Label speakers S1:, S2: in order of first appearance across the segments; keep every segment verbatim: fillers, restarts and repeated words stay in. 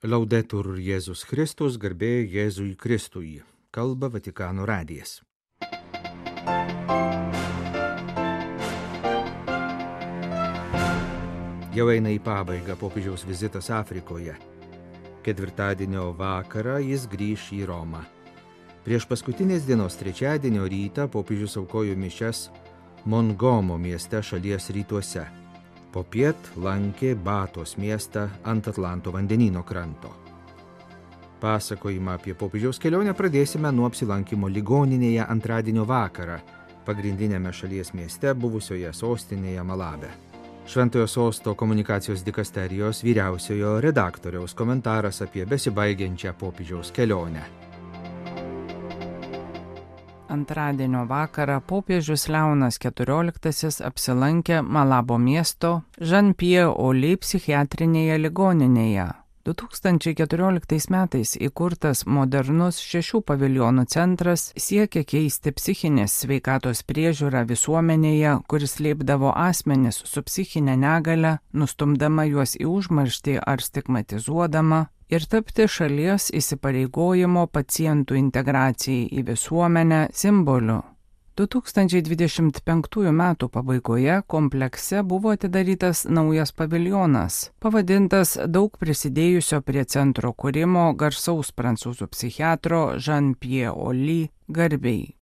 S1: Laudetur Jėzus Kristus, garbė Jėzui Kristui. Kalba Vatikano radijas. Jau eina į pabaigą popiežiaus vizitas Afrikoje. Ketvirtadienio vakarą jis grįš į Romą. Prieš paskutinės dienos trečiadienio rytą popiežius aukojo mišias Mongomo mieste šalies rytuose. Popiet lankė Batos miestą ant Atlanto vandenyno kranto. Pasakojimą apie popiežiaus kelionę pradėsime nuo apsilankimo ligoninėje antradienio vakarą, pagrindinėme šalies mieste buvusioje sostinėje Malabe. Šventojo sosto komunikacijos dikasterijos vyriausiojo redaktoriaus komentaras apie besibaigiančią popiežiaus kelionę.
S2: Antradienio vakarą popiežius Leonas keturioliktasis apsilankė Malabo miesto Jean-Pierre-Oli psichiatrinėje ligoninėje. du tūkstančiai keturioliktais metais įkurtas modernus šešių paviljonų centras siekia keisti psichinės sveikatos priežiūrą visuomenėje, kuris slėpdavo asmenis su psichinė negalia, nustumdama juos į užmarštį ar stigmatizuodama, ir tapti šalies įsipareigojimo pacientų integracijai į visuomenę simboliu. du tūkstančiai dvidešimt penktųjų metų pabaigoje komplekse buvo atidarytas naujas paviljonas, pavadintas daug prisidėjusio prie centro kūrimo garsaus prancūzų psichiatro Jean-Pierre-Oli garbei.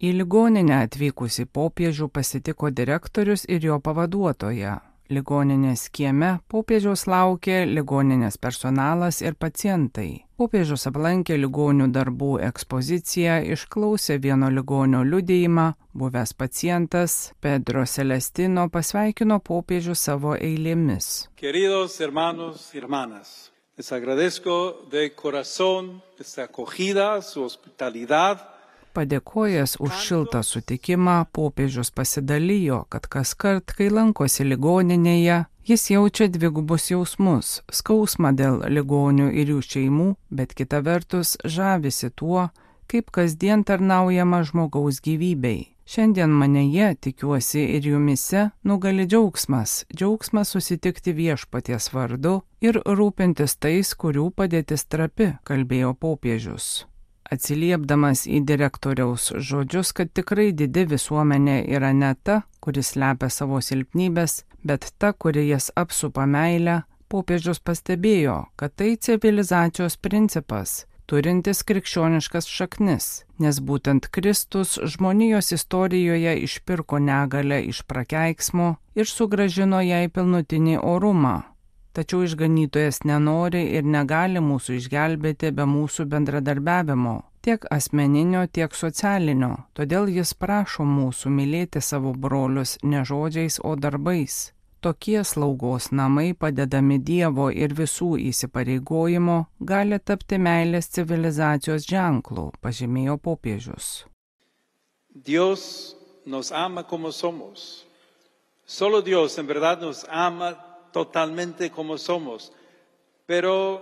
S2: Į ligoninę atvykusį popiežių pasitiko direktorius ir jo pavaduotoja. Ligoninės kieme popiežiaus laukė ligoninės personalas ir pacientai. Popiežius aplankė ligonių darbų ekspoziciją, išklausė vieno ligonio liudijimą, buvęs pacientas Pedro Celestino pasveikino popiežių savo eilėmis.
S3: Queridos hermanos y hermanas, les agradezco de corazón esta acogida, su hospitalidad.
S2: Padėkojęs už šiltą sutikimą, popiežius pasidalijo, kad kaskart, kai lankosi ligoninėje, jis jaučia dvigubus jausmus – skausmą dėl ligonių ir jų šeimų, bet kita vertus žavisi tuo, kaip kasdien tarnaujama žmogaus gyvybei. Šiandien maneye, tikiuosi ir jumise, nugali džiaugsmas, džiaugsmas susitikti viešpaties vardu ir rūpintis tais, kurių padėtis trapi, kalbėjo popiežius. Atsiliepdamas į direktoriaus žodžius, kad tikrai didi visuomenė yra ne ta, kuris slepia savo silpnybės, bet ta, kuri jas apsupa meilę, popiežius pastebėjo, kad tai civilizacijos principas, turintis krikščioniškas šaknis, nes būtent Kristus žmonijos istorijoje išpirko negalę iš prakeiksmo ir sugrąžino jai pilnutinį orumą. Tačiau išganytojas nenori ir negali mūsų išgelbėti be mūsų bendradarbiavimo, tiek asmeninio, tiek socialinio. Todėl jis prašo mūsų mylėti savo brolius ne žodžiais, o darbais. Tokie slaugos namai, padedami Dievo ir visų įsipareigojimo, gali tapti meilės civilizacijos ženklu, pažymėjo popiežius.
S3: Dios nos ama como somos. Solo Dios en verdad nos ama totalmente como somos, pero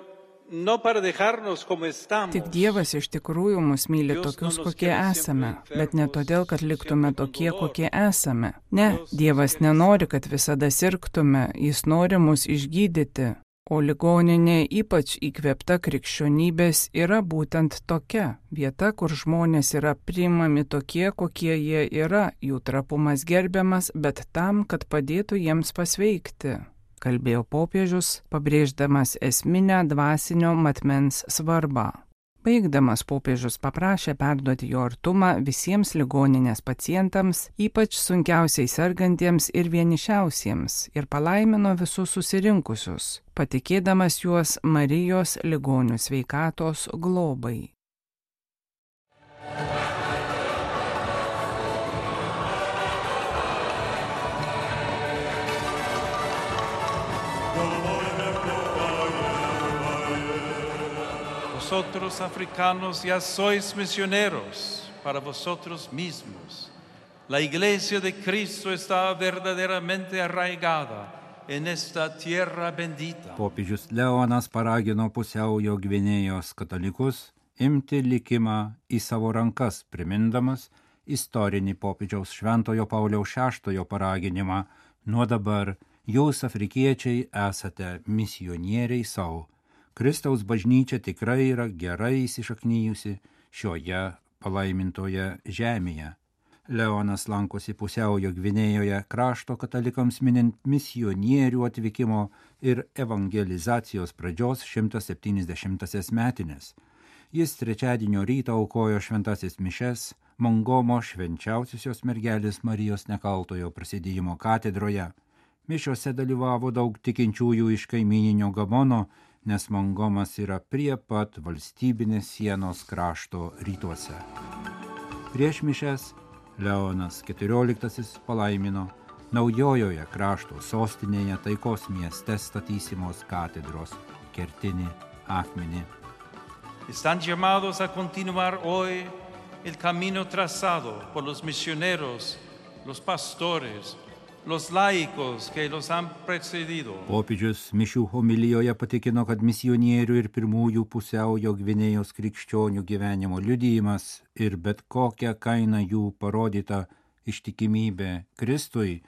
S3: no para dejarnos como estamos.
S2: Tik Dievas iš tikrųjų mus myli tokius, kokie esame, bet ne todėl, kad liktume tokie, kokie esame. Ne, Dievas nenori, kad visada sirgtume, jis nori mus išgydyti, o ligoninė ypač įkvėpta krikščionybės yra būtent tokia vieta, kur žmonės yra priimami tokie, kokie jie yra, jų trapumas gerbiamas, bet tam, kad padėtų jiems pasveikti, kalbėjo popiežius, pabrėždamas esminę dvasinio matmens svarbą. Baigdamas popiežius paprašė perduoti jo artumą visiems ligoninės pacientams, ypač sunkiausiai sergantiems ir vienišiausiems, ir palaimino visus susirinkusius, patikėdamas juos Marijos ligonių sveikatos globai.
S3: Vosotros africanos ya sois misioneros para vosotros mismos. La Iglesia de Cristo está verdaderamente arraigada en esta tierra bendita.
S4: Popiežius Leonas paragino pusiaujo Gvinėjos katalikus imti likimą į savo rankas, primindamas istorinį popiežiaus Šventojo Pauliaus šeštojo paraginimą: nuo dabar jūs, afrikiečiai, esate misionieriai savo, Kristaus bažnyčia tikrai yra gerai įsišaknyjusi šioje palaimintoje žemėje. Leonas lankosi Pusiaujo Gvinėjoje krašto katalikams minint misionierių atvykimo ir evangelizacijos pradžios šimtas septyniasdešimtąsias metines. Jis trečiadienio rytą aukojo šventasis mišes Mongomo švenčiausiosios mergelės Marijos Nekaltojo prasidėjimo katedroje. Mišiose dalyvavo daug tikinčiųjų iš kaimyninio Gabono, nes Mongomas yra prie pat valstybinės sienos krašto rytuose. Prieš mišes Leonas keturioliktasis palaimino naujojoje krašto sostinėje taikos mieste statysimos katedros kertinį akmenį.
S3: Están llamados a continuar hoy el camino trazado por los misioneros, los pastores, los laicos que los han precedido.
S4: Popiežius mišių homilijoje patikino, kad misionierių ir pirmųjų Pusiaujo Gvinėjos krikščionių gyvenimo liudijimas ir bet kokia kaina jų parodyta ištikimybė Kristui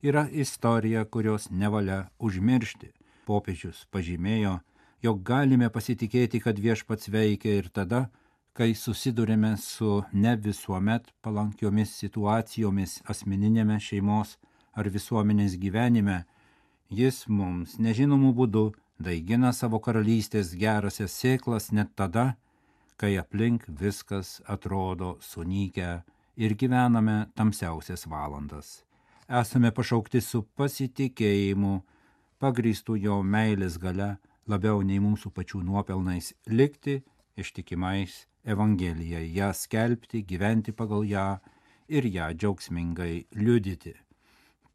S4: yra istorija, kurios nevalia užmiršti. Popiežius pažymėjo, jog galime pasitikėti, kad Viešpats veikia ir tada, kai susidurime su ne visuomet palankiomis situacijomis asmeninėme šeimos ar visuomenės gyvenime, jis mums nežinomų būdų daigina savo karalystės gerasias sėklas net tada, kai aplink viskas atrodo sunykę ir gyvename tamsiausias valandas. Esame pašaukti su pasitikėjimu, pagrįstų jo meilės galia, labiau nei mūsų pačių nuopelnais, likti ištikimais Evangelijai, ją skelbti, gyventi pagal ją ir ją džiaugsmingai liudyti.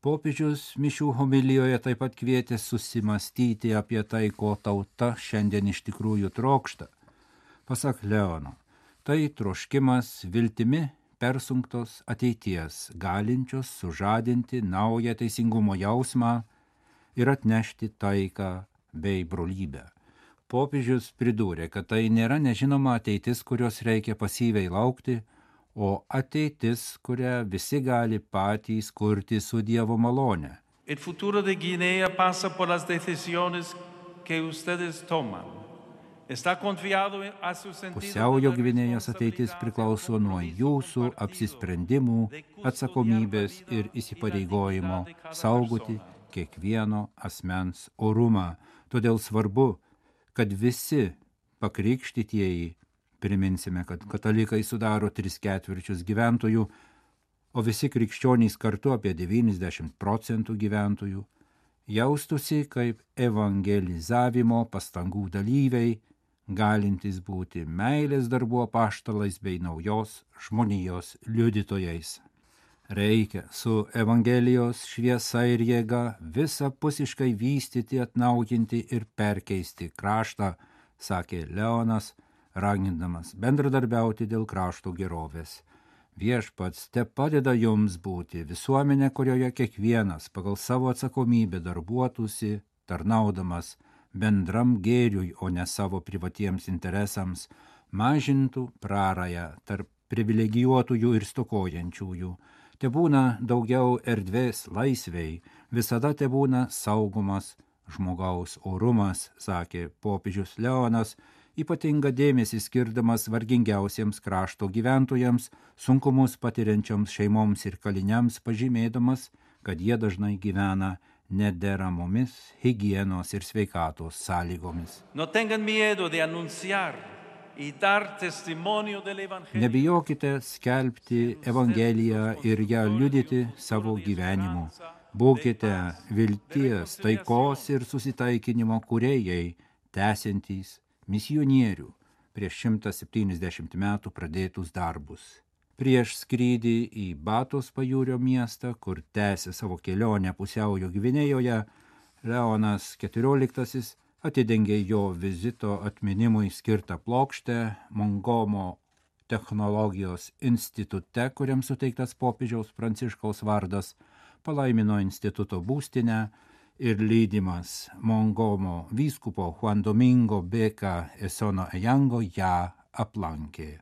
S4: Popiežius mišių homilijoje taip pat kvietė susimastyti apie tai, ko tauta šiandien iš tikrųjų trokšta. Pasak Leono, tai troškimas viltimi persunktos ateities, galinčios sužadinti naują teisingumo jausmą ir atnešti taiką bei brolybę. Popiežius pridūrė, kad tai nėra nežinoma ateitis, kurios reikia pasyviai laukti, o ateitis, kurią visi gali patys kurti su Dievo malone.
S3: El futuro de Guinea pasa por las decisiones que ustedes toman. Está confiado a su sentido.
S4: Pusiaujo Gvinėjos ateitis priklauso nuo jūsų apsisprendimų, atsakomybės ir įsipareigojimo saugoti kiekvieno asmens orumą. Todėl svarbu, kad visi pakrikštytieji, priminsime, kad katalikai sudaro tris ketvirčius gyventojų, o visi krikščionys kartu apie devyniasdešimt procentų gyventojų, jaustųsi kaip evangelizavimo pastangų dalyviai, galintys būti meilės darbų apaštalais bei naujos žmonijos liudytojais. Reikia su Evangelijos šviesa ir jėga visapusiškai vystyti, atnaujinti ir perkeisti kraštą, sakė Leonas, ragindamas bendradarbiauti dėl krašto gerovės. Viešpats te padeda jums būti visuomenė, kurioje kiekvienas pagal savo atsakomybę darbuotųsi, tarnaudamas bendram gėriui, o ne savo privatiems interesams, mažintų prarają tarp privilegijuotųjų ir stokojančiųjų. Te būna daugiau erdvės laisvei, visada te būna saugumas žmogaus orumas, sakė popiežius Leonas, ypatingą dėmesį skirdamas vargingiausiems krašto gyventojams, sunkumus patiriančioms šeimoms ir kaliniams, pažymėdamas, kad jie dažnai gyvena nederamomis higienos ir sveikatos sąlygomis.
S3: No tengan miedo de anunciar y dar testimonio del evangelio.
S4: Nebijokite skelbti Evangeliją ir ją liudyti savo gyvenimu. Būkite vilties, taikos ir susitaikinimo kūrėjai, tęsiantys misionierių prieš šimtą septyniasdešimt metų pradėtus darbus. Prieš skrydį į Batos pajūrio miestą, kur tęsė savo kelionę Pusiaujo Gvinėjoje, Leonas keturioliktasis atidengė jo vizito atminimui skirtą plokštę Mongomo technologijos institute, kuriam suteiktas popiežiaus Pranciškaus vardas, palaimino instituto būstinę ir lydimas Mongomo vyskupo Juan Domingo Beka Esono Ejango ją aplankė.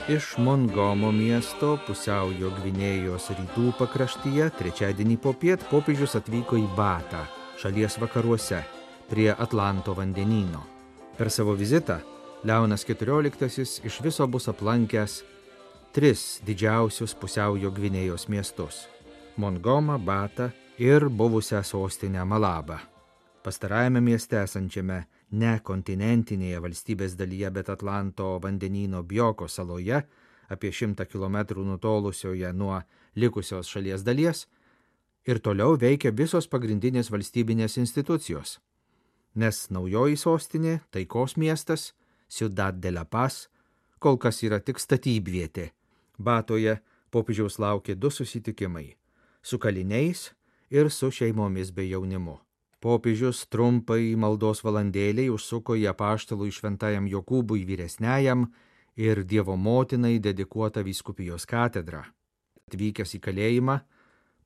S1: Iš Mongomo miesto pusiaujo Gvinėjos rytų pakraštyje trečiadienį popiet popiežius atvyko į Batą, šalies vakaruose, prie Atlanto vandenyno. Per savo vizitą Leonas keturioliktasis iš viso bus aplankęs tris didžiausius pusiaujo Gvinėjos miestus – Mongomą, Batą ir buvusią sostinę Malabą. Pastarajame mieste esančiame ne kontinentinėje valstybės dalyje, bet Atlanto vandenyno Bioko saloje, apie šimtą kilometrų nutolusioje nuo likusios šalies dalies, ir toliau veikia visos pagrindinės valstybinės institucijos, nes naujoji sostinė, taikos miestas, Ciudad de la Paz, kol kas yra tik statybvietė. Batoje popiežiaus laukia du susitikimai – su kaliniais ir su šeimomis bei jaunimu. Popiežius trumpai maldos valandėliai užsuko į apaštalų šventajam Jokūbui vyresniajam ir Dievo motinai dedikuotą vyskupijos katedrą. Atvykęs į kalėjimą,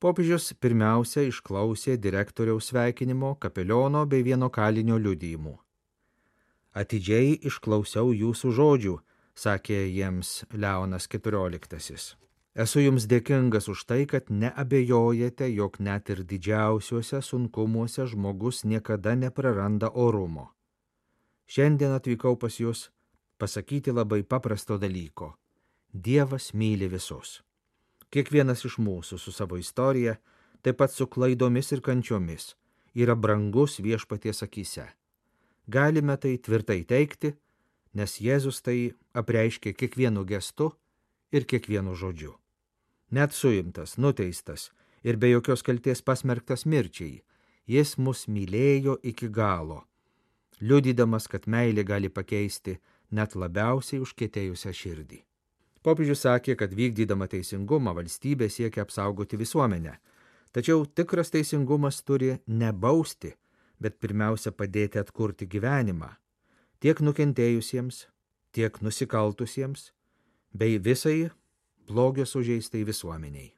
S1: popiežius pirmiausia išklausė direktoriaus sveikinimo, kapeliono bei vieno kalinio liudijimų. Atidžiai išklausiau jūsų žodžių, sakė jiems Leonas keturioliktasis. Esu jums dėkingas už tai, kad neabejojate, jog net ir didžiausiuose sunkumuose žmogus niekada nepraranda orumo. Šiandien atvykau pas jūs pasakyti labai paprasto dalyko. Dievas myli visus. Kiekvienas iš mūsų su savo istorija, taip pat su klaidomis ir kančiomis, yra brangus Viešpaties akyse. Galime tai tvirtai teigti, nes Jėzus tai apreiškė kiekvienu gestu ir kiekvienu žodžiu. Net suimtas, nuteistas ir be jokios kaltės pasmerktas mirčiai, jis mus mylėjo iki galo, liudydamas, kad meilė gali pakeisti net labiausiai užkietėjusią širdį. Popiežius sakė, kad vykdydama teisingumą valstybė siekia apsaugoti visuomenę, tačiau tikras teisingumas turi ne bausti, bet pirmiausia padėti atkurti gyvenimą tiek nukentėjusiems, tiek nusikaltusiems, bei visai blogio sužeistai visuomeniai.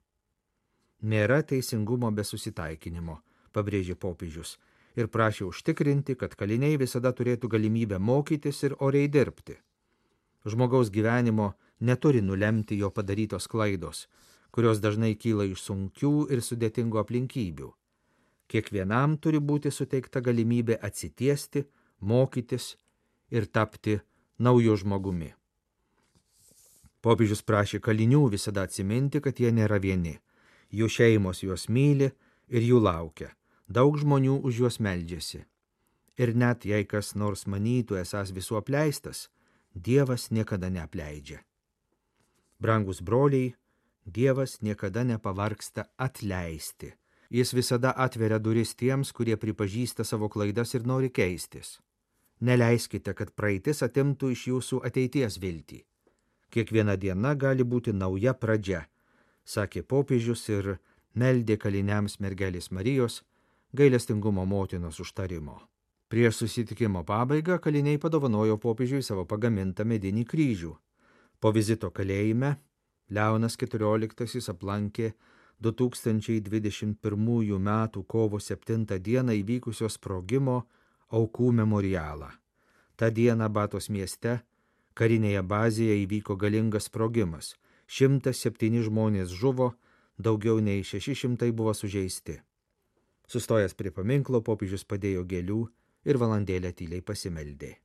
S1: Nėra teisingumo be susitaikinimo, pabrėžė popiežius, ir prašė užtikrinti, kad kaliniai visada turėtų galimybę mokytis ir oriai dirbti. Žmogaus gyvenimo neturi nulemti jo padarytos klaidos, kurios dažnai kyla iš sunkių ir sudėtingų aplinkybių. Kiekvienam turi būti suteikta galimybė atsitiesti, mokytis ir tapti nauju žmogumi. Popiežius prašė kalinių visada atsiminti, kad jie nėra vieni. Jų šeimos juos myli ir jų laukia. Daug žmonių už juos meldžiasi. Ir net jei kas nors manytų esąs visų apleistas, Dievas niekada neapleidžia. Brangus broliai, Dievas niekada nepavargsta atleisti. Jis visada atveria duris tiems, kurie pripažįsta savo klaidas ir nori keistis. Neleiskite, kad praeitis atimtų iš jūsų ateities viltį. Kiekviena diena gali būti nauja pradžia, sakė popiežius ir meldė kaliniams mergelės Marijos gailestingumo motinos užtarimo. Prieš susitikimo pabaigą kaliniai padovanojo popiežiui savo pagamintą medinį kryžių. Po vizito kalėjime Leonas keturioliktasis aplankė du tūkstančiai dvidešimt pirmųjų metų kovo septintą dieną įvykusio sprogimo aukų memorialą. Ta diena Batos mieste karinėje bazėje įvyko galingas sprogimas. šimtas septyni žmonės žuvo, daugiau nei šeši šimtai buvo sužeisti. Sustojęs prie paminklo, popiežius padėjo gėlių ir valandėlę tyliai pasimeldė.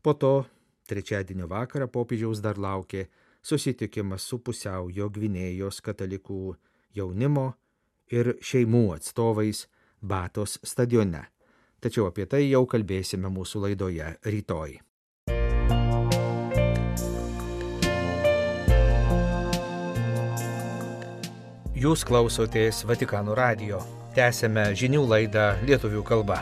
S1: Po to, trečiadienio vakarą, popiežiaus dar laukė susitikimas su pusiaujo Gvinėjos katalikų jaunimo ir šeimų atstovais Batos stadione. Tačiau apie tai jau kalbėsime mūsų laidoje rytoj. Jūs klausotės Vatikano radijo. Tęsėme žinių laidą lietuvių kalba.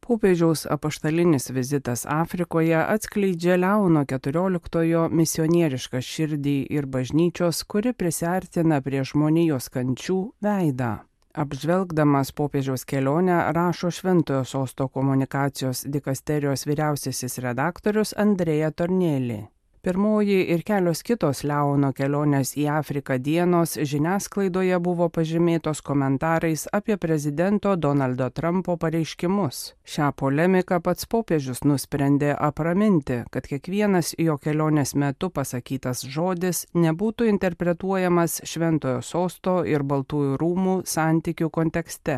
S2: Popiežiaus apaštalinis vizitas Afrikoje atskleidžia Leono keturioliktojo misionierišką širdį ir bažnyčios, kuri prisiartina prie žmonijos kančių veidą. Apžvelgdamas popiežiaus kelionę rašo Šventojo sosto komunikacijos dikasterijos vyriausiasis redaktorius Andrea Tornelli. Pirmoji ir kelios kitos Leono kelionės į Afriką dienos žiniasklaidoje buvo pažymėtos komentarais apie prezidento Donaldo Trumpo pareiškimus. Šią polemiką pats popiežius nusprendė apraminti, kad kiekvienas jo kelionės metu pasakytas žodis nebūtų interpretuojamas Šventojo sosto ir Baltųjų rūmų santykių kontekste.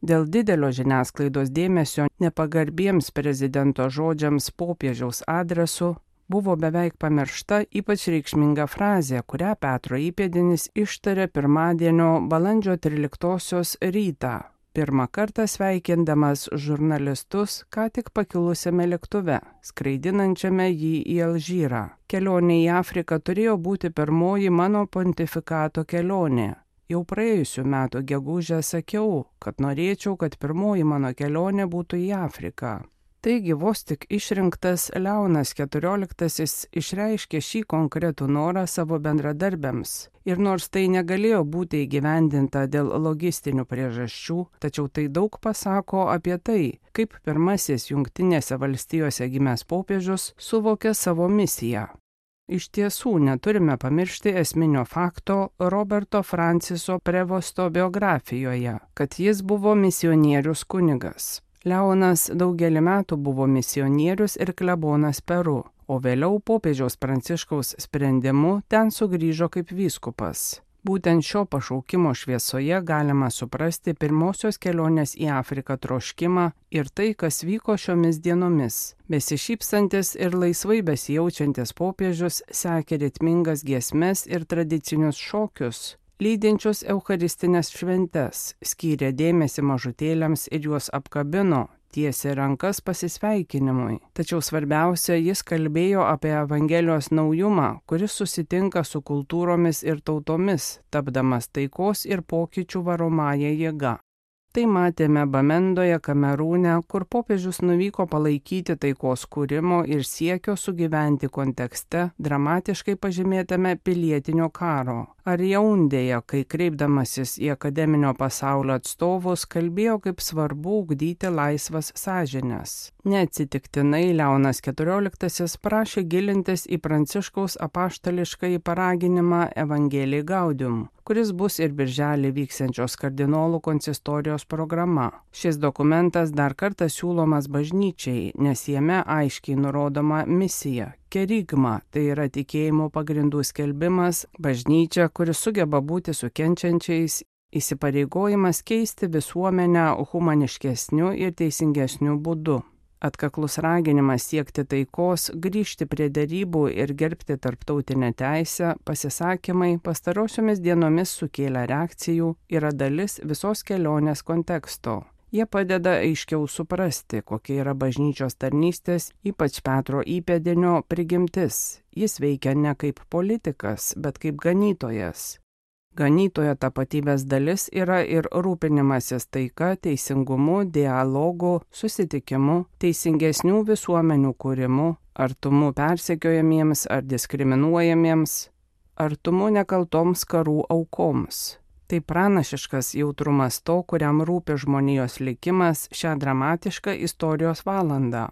S2: Dėl didelio žiniasklaidos dėmesio nepagarbiems prezidento žodžiams popiežiaus adresu buvo beveik pamiršta ypač reikšminga frazė, kurią Petro įpėdinis ištarė pirmadienio balandžio tryliktosios rytą, pirmą kartą sveikindamas žurnalistus ką tik pakilusiame lėktuve, skraidinančiame jį į Alžyrą. Kelionė į Afriką turėjo būti pirmoji mano pontifikato kelionė. Jau praėjusių metų gegužę sakiau, kad norėčiau, kad pirmoji mano kelionė būtų į Afriką. Taigi vos tik išrinktas Leonas keturioliktasis išreiškė šį konkretų norą savo bendradarbiams. Ir nors tai negalėjo būti įgyvendinta dėl logistinių priežasčių, tačiau tai daug pasako apie tai, kaip pirmasis Jungtinėse valstijose gimęs popiežius suvokė savo misiją. Iš tiesų neturime pamiršti esminio fakto Roberto Franciso Prevosto biografijoje, kad jis buvo misionierius kunigas. Leonas daugelį metų buvo misionierius ir klebonas Peru, o vėliau popiežiaus Pranciškaus sprendimu ten sugrįžo kaip vyskupas. Būtent šio pašaukimo šviesoje galima suprasti pirmosios kelionės į Afriką troškimą ir tai, kas vyko šiomis dienomis. Besišypsantis ir laisvai besijaučiantis popiežius sekė ritmingas giesmes ir tradicinius šokius, lydinčius eucharistinės šventes, skyrė dėmesį mažutėliams ir juos apkabino, tiesė rankas pasisveikinimui. Tačiau svarbiausia, jis kalbėjo apie Evangelijos naujumą, kuris susitinka su kultūromis ir tautomis, tapdamas taikos ir pokyčių varomąja jėga. Tai matėme Bamendoje, Kamerūne, kur popiežius nuvyko palaikyti taikos kūrimo ir siekio sugyventi kontekste dramatiškai pažymėtame pilietinio karo. Ar Jaundėje, kai kreipdamasis į akademinio pasaulio atstovus, kalbėjo, kaip svarbu ugdyti laisvas sąžines. Neatsitiktinai Leonas keturioliktasis prašė gilintis į Pranciškaus apaštališkąjį paraginimą Evangelii Gaudium, kuris bus ir birželį vyksiančios kardinolų konsistorijos programa. Šis dokumentas dar kartą siūlomas bažnyčiai, nes jame aiškiai nurodoma misija. Kerigma, tai yra tikėjimo pagrindų skelbimas, bažnyčia, kuris sugeba būti su kenčiančiais, įsipareigojimas keisti visuomenę humaniškesniu ir teisingesniu būdu. Atkaklus raginimas siekti taikos, grįžti prie derybų ir gerbti tarptautinę teisę, pasisakymai pastarosiomis dienomis sukėlė reakcijų, yra dalis visos kelionės konteksto. Jie padeda aiškiau suprasti, kokia yra bažnyčios tarnystės, ypač Petro įpėdinio prigimtis. Jis veikia ne kaip politikas, bet kaip ganytojas. Ganytojo tapatybės dalis yra ir rūpinimasis taika, teisingumu, dialogu, susitikimu, teisingesnių visuomenių kūrimu, artumu persekiojamiems ar diskriminuojamiems, artumu nekaltoms karų aukoms. Tai pranašiškas jautrumas to, kuriam rūpi žmonijos likimas šią dramatišką istorijos valandą.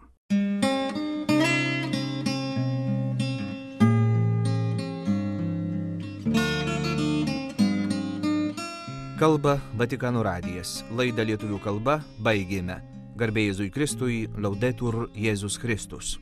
S1: Kalba Vatikano radijas. Laidą lietuvių kalba baigėme. Garbė Jėzui Kristui, Laudetur Jėzus Kristus.